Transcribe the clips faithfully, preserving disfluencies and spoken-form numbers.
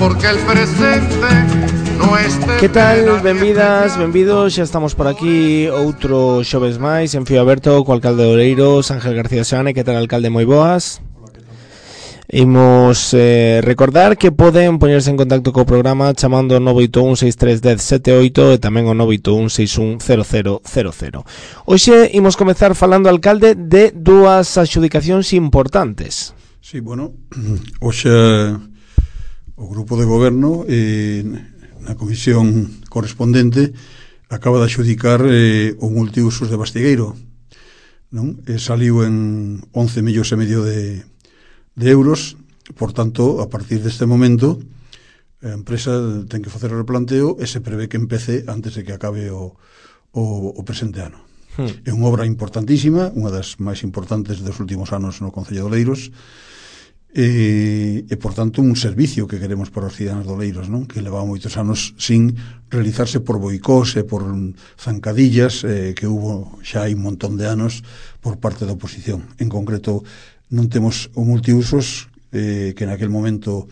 porque el presente no este. Que tal? Benvidas, benvidos, xa estamos por aquí outro xoves máis en Fío Aberto co alcalde de Oleiros, Ángel García Seoane. Que tal, alcalde? Moi boas. Imos eh, recordar que poden poñerse en contacto co programa chamando ao nove oito un seis tres un zero sete oito e tamén ao nove oito un seis un cero cero cero cero. Hoxe imos comezar falando, alcalde, de dúas adxudicacións importantes. Sí, bueno, hoxe o grupo de goberno eh, na comisión correspondente acaba de adxudicar eh, o multiusos de Bastigueiro, non? E saliu en once millóns e medio de de euros. Por tanto, a partir deste momento a empresa ten que facer o replanteo e se prevé que empece antes de que acabe o, o, o presente ano. Hmm. É unha obra importantísima, unha das máis importantes dos últimos anos no Concello de Oleiros, e, e por tanto un servicio que queremos para os cidadanos de Oleiros, non? Que leva moitos anos sin realizarse por boicós e por zancadillas eh, que hubo xa hai un montón de anos por parte da oposición. En concreto, non temos o multiusos eh, que naquel momento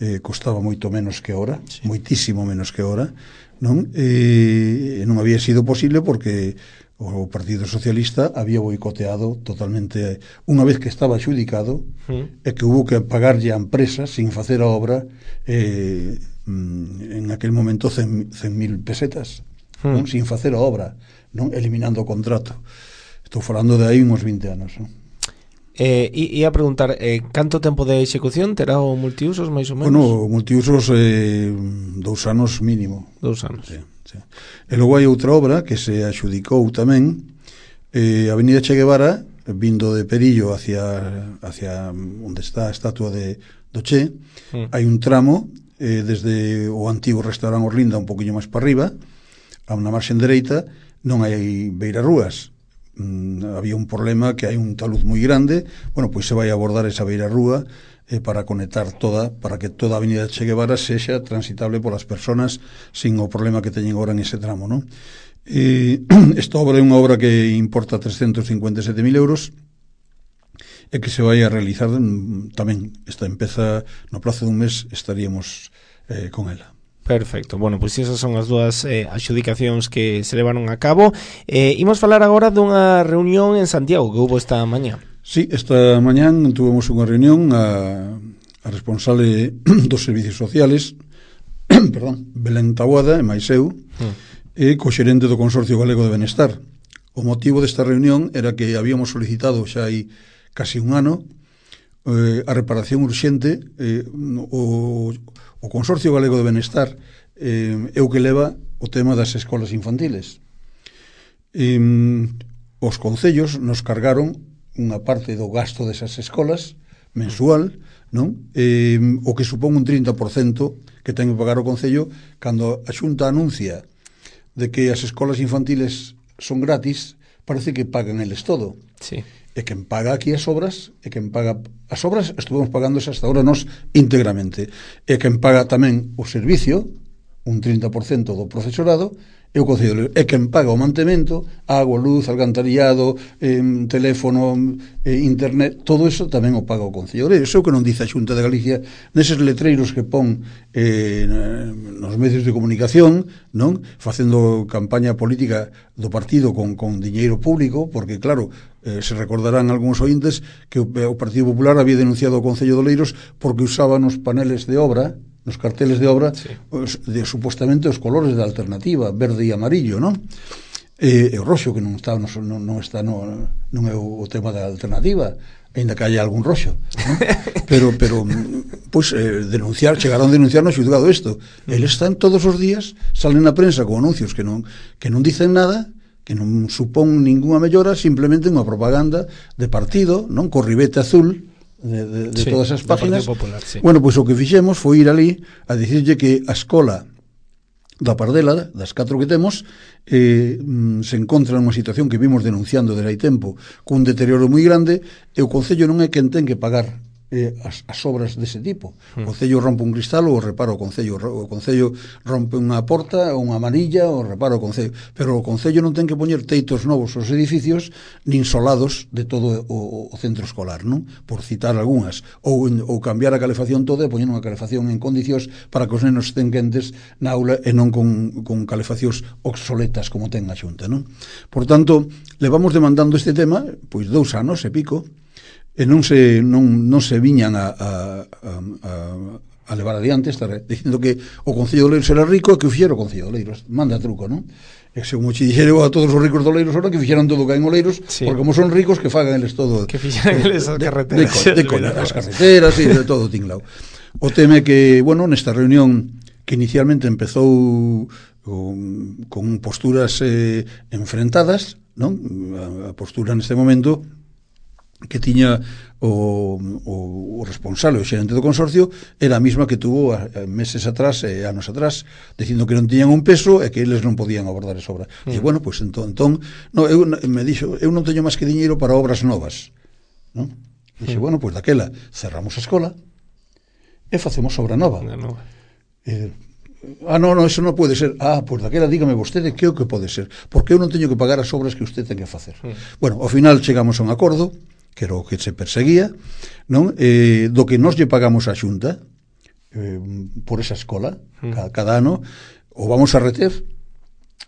eh, costaba moito menos que ahora, sí. Moitísimo menos que ahora, non? E non había sido posible porque o Partido Socialista había boicoteado totalmente unha vez que estaba adxudicado, mm. e que hubo que pagarlle a empresa sin facer a obra eh, en aquel momento cen mil pesetas, mm. non? Sin facer a obra, non? Eliminando o contrato. Estou falando de aí uns vinte anos, non? Eh, ia a preguntar, eh, canto tempo de execución terá o multiusos, máis ou menos? Bueno, o multiusos eh, dous anos mínimo. Dous anos. Sí, sí. E logo hai outra obra que se adxudicou tamén, eh, Avenida Che Guevara, vindo de Perillo hacia, hacia onde está a estatua de, do Che, mm. hai un tramo eh, desde o antigo restaurante Orlinda un poquinho máis para arriba, a unha marxen dereita, non hai beirarrúas. Mm, había un problema que hai un talud moi grande. Bueno, pois se vai abordar esa beirarrúa eh, para conectar toda, para que toda a Avenida Che Guevara sexa transitable polas persoas sin o problema que teñen agora en ese tramo, non? Eh, esta obra é unha obra que importa trescentos cincuenta e sete mil euros e que se vai a realizar tamén. Esta empeza no prazo dun mes, estaríamos eh, con ela. Perfecto, bueno, pois esas son as dúas eh, adxudicacións que se levaron a cabo. eh, Imos falar agora dunha reunión en Santiago que houve esta mañá. Sí, esta mañán tuvemos unha reunión a, a responsable dos servicios sociales perdón, Belén Taboada e máis eu, mm. e co xerente do Consorcio Galego de Benestar. O motivo desta reunión era que habíamos solicitado xa hai casi un ano eh, a reparación urxente. eh, o O Consorcio Galego de Benestar eh, é o que leva o tema das escolas infantiles. Eh, os concellos nos cargaron unha parte do gasto desas escolas mensual, non? Eh, o que supón un trinta por cento que ten que pagar o concello cando a Xunta anuncia de que as escolas infantiles son gratis, parece que pagan eles todo. Sí. E quen paga aquí as obras, e quen paga as obras, estuvemos pagando hasta ahora nos íntegramente, e quen paga tamén o servicio, un trinta por cento do profesorado, e o Concello, e quen paga o mantemento, agua, luz, alcantarillado, eh, teléfono, eh, internet, todo eso tamén o paga o Concello. Eso é o que non dice a Xunta de Galicia neses letreiros que pon eh, nos medios de comunicación, non? Facendo campaña política do partido con, con diñeiro público, porque claro, eh, se recordarán algúns ointes que o, o Partido Popular había denunciado o Concello de Oleiros porque usaban os paneles de obra, nos carteles de obra, sí. os, de, supostamente os colores da alternativa, verde e amarillo, non? E, e o roxo, que non está, non, non está no, non é o, o tema da alternativa, ainda que haya algún roxo, non? pero, pero pois, eh, denunciar, chegaron a denunciar no xulgado isto. Eles están todos os días, salen na prensa con anuncios que non, que non dicen nada, que non supón ninguna mellora, simplemente unha propaganda de partido, non? Co ribete azul de, de, de sí, todas as páginas. Popular, sí. Bueno, pois o que fixemos foi ir ali a dicirlle que a escola da Pardela, das catro que temos, eh, se encontra nunha situación que vimos denunciando desde hai tempo, cun deterioro moi grande, e o Concello non é quen ten que pagar eh, as, as obras dese tipo. O Concello rompe un cristal ou o repara o Concello, o Concello rompe unha porta ou unha manilla ou repara o Concello, pero o Concello non ten que poñer teitos novos aos edificios nin solados de todo o, o centro escolar, non? Por citar algunhas, ou, ou cambiar a calefacción toda e poñer unha calefacción en condicións para que os nenos estén quentes na aula e non con, con calefaccións obsoletas como ten a Xunta, non? Por tanto, levamos demandando este tema pois dous anos e pico, e non se non, non se viñan a, a, a, a levar adiante, estar dicindo que o Concello de Oleiros era rico e que o fixera o Concello de Oleiros, manda truco, non? E se como che dixere a todos os ricos de Oleiros ahora que fixeran todo que hai en Oleiros, sí. Porque como son ricos que fagan eles todo, que fixeran eles as carreteras, de, de, de, de as carreteras e de todo tinglao. O tema é que, bueno, nesta reunión que inicialmente empezou con, con posturas eh, enfrentadas, non? A, a postura neste momento que tiña o, o, o responsable, o xerente do consorcio, era a mesma que tuvo a, a meses atrás e anos atrás, dicindo que non tiñan un peso e que eles non podían abordar esa obra. Mm. E bueno, pois pues, entón, entón no, eu, me dixo, eu non teño máis que diñeiro para obras novas, non? Dixe, mm. bueno, pois pues, daquela cerramos a escola e facemos obra nova. nova. Eh, ah, non, non, eso non pode ser. Ah, pois pues, daquela dígame vostede que é o que pode ser, porque eu non teño que pagar as obras que usted ten que facer. Mm. Bueno, ao final chegamos a un acordo que era o que se perseguía, non? Eh, do que nós lle pagamos á Xunta eh, por esa escola mm. cada, cada ano, o vamos a reter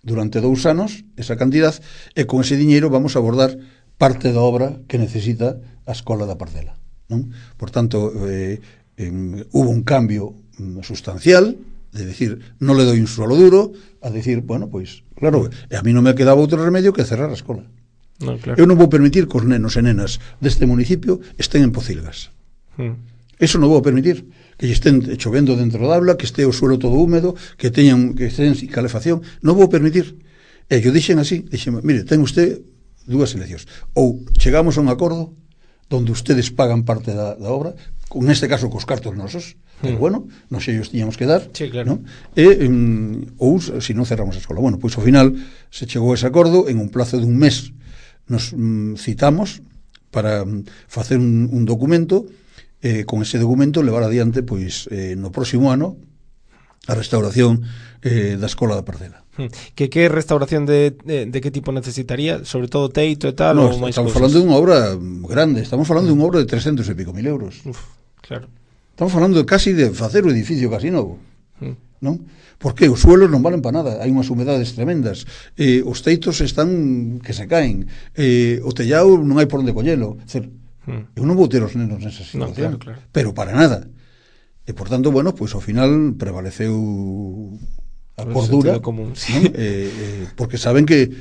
durante dous anos esa cantidad, e con ese diñeiro vamos a abordar parte da obra que necesita a escola da Parcela, non? Por tanto, eh, en, hubo un cambio sustancial, de decir, non le doy un suelo duro, a decir, bueno, pois, claro, e a mí non me quedaba outro remedio que cerrar a escola. No, claro. Eu non vou permitir que os nenos e nenas deste municipio estén en pocilgas. Mm. Eso non vou permitir, que estén chovendo dentro da aula, que este o suelo todo húmedo, que teñan que estén sin calefacción, non vou permitir. E yo dixen así, dixen, mire, ten usted dúas eleccións, ou chegamos a un acordo donde ustedes pagan parte da, da obra, con este caso cos cartos nosos, mm. pero bueno, non sei, os tiñamos que dar, sí, claro. ¿no? E, um, ou se non cerramos a escola. Bueno, pois ao final se chegou a ese acordo en un plazo de un mes. Nos mm, citamos para mm, facer un, un documento, eh, con ese documento levar adiante pois eh, no próximo ano a restauración eh, da escola da Parcela. Que que restauración de, de, de que tipo necesitaría? Sobre todo teito e tal? No, ou máis estamos cosas? falando dunha obra grande, estamos falando mm. dunha obra de trescentos e pico mil euros. Uf, claro. Estamos falando de casi de facer o edificio casi novo, mm. non? Porque os suelos non valen para nada, hai unhas humedades tremendas, eh, os teitos están que se caen, eh, o tellado non hai por onde collelo. Cer, mm. Eu non vou ter os nenos nesa situación, no, claro, claro. Pero para nada. E por tanto, bueno, pois pues, ao final prevaleceu a cordura común, sí. ¿no? eh, eh, porque saben que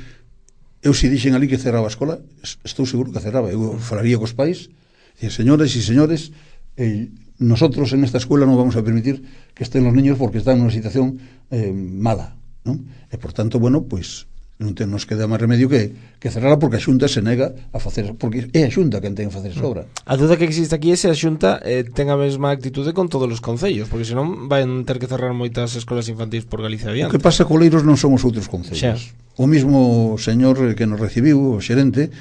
eu se dixen ali que cerraba a escola, estou seguro que cerraba. Eu falaría cos pais, dicir, señores e señores, eh, nosotros en esta escuela non vamos a permitir que estén os niños porque están en unha situación eh, mala, non? E por tanto, bueno, pois non te, nos queda máis remedio que, que cerrarla, porque a Xunta se nega a facer, porque é a Xunta quen ten que facer esa obra. A duda que existe aquí é se a Xunta eh, ten a mesma actitude con todos os concellos, porque senón van ter que cerrar moitas escolas infantis por Galicia adiante. O que pasa que Oleiros non son os outros concellos. Xa. O mismo señor que nos recibiu, o xerente,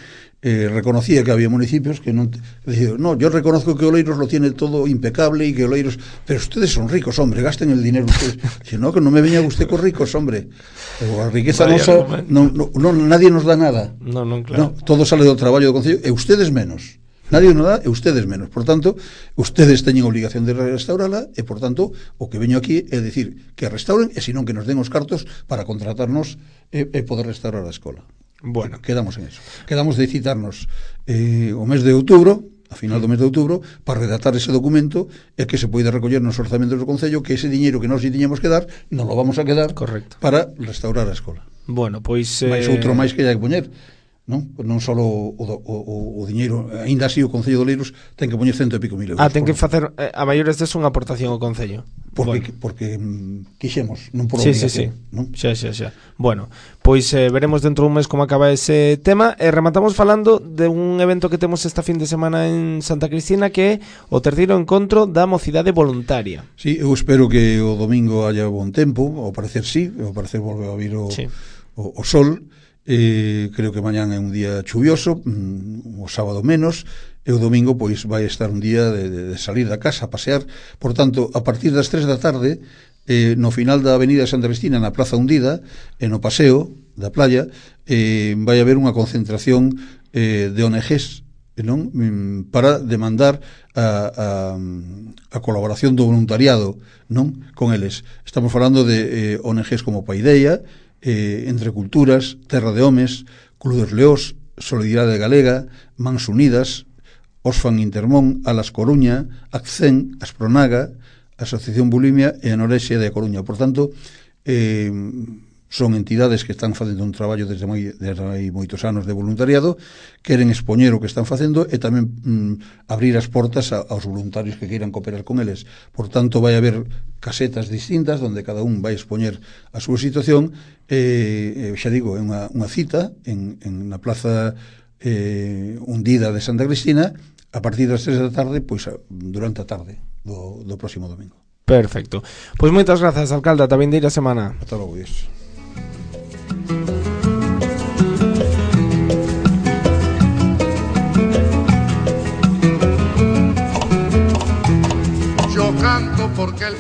Eh, reconocía que había municipios que non decía, no, yo reconozco que Oleiros lo tiene todo impecable y que Oleiros, pero ustedes son ricos, hombre, gasten el dinero ustedes. Dice, no, que no me venga usted con ricos, hombre, o a riqueza nosa no, no, no, nadie nos da nada, no, non, claro. No, todo sale do traballo do concello e ustedes menos, nadie nos dá e ustedes menos, por tanto ustedes teñen obligación de restaurala e por tanto o que veño aquí é decir que restauren e senón que nos den os cartos para contratarnos e, e poder restaurar a escola. Bueno, quedamos en eso. Quedamos de citarnos eh, o mes de outubro, a final do mes de outubro, para redactar ese documento e que se poida recoller nos orzamentos do Concello, que ese diñeiro que nós lle tiñamos que dar, non lo vamos a quedar. Correcto. Para restaurar a escola. Bueno, pois... Eh... Mais outro máis que hai que poñer, non? Non só o, o, o, o diñeiro, aínda así o Concello de Oleiros ten que poñer cento e pico mil euros. Ah, ten que facer, eh, a maiores des unha aportación ao Concello. Porque, bueno. porque mm, quixemos, non por obligación, sí, sí, sí. non? Xa, xa, xa. Bueno, pois eh, veremos dentro dun mes como acaba ese tema e rematamos falando de un evento que temos esta fin de semana en Santa Cristina, que é o terceiro encontro da mocidade voluntaria. Sí, eu espero que o domingo haya bon tempo, ao parecer sí, ao parecer volve a vir o, sí. o, o sol. Eh, creo que mañán é un día chuvioso, mm, o sábado menos, e o domingo pois vai estar un día de, de, de salir da casa a pasear. Por tanto, a partir das tres da tarde, eh, no final da avenida Santa Cristina, na Praza Hundida, e no paseo da playa, eh, vai haber unha concentración eh, de O N Ges, non? Para demandar a, a, a colaboración do voluntariado, non? Con eles. Estamos falando de eh, O N Ges como Paideia, eh, Entre Culturas, Terra de Homes, Club dos Leós, Solidaridade Galega, Mans Unidas, Osfan Intermón, Alas Coruña, Accén, Aspronaga, Asociación Bulimia e Anorexia de Coruña. Por tanto, eh, son entidades que están facendo un traballo desde moi, desde hai moitos anos de voluntariado, queren expoñer o que están facendo e tamén mm, abrir as portas a, aos voluntarios que queiran cooperar con eles. Por tanto, vai haber casetas distintas onde cada un vai expoñer a súa situación. Eh, xa digo, é unha, unha cita en, en na Plaza eh, Hundida de Santa Cristina a partir das tres da tarde, pois durante a tarde do, do próximo domingo. Perfecto. Pois moitas grazas, alcalde, ata vindeira semana. Ata logo, Dios. Yo canto porque el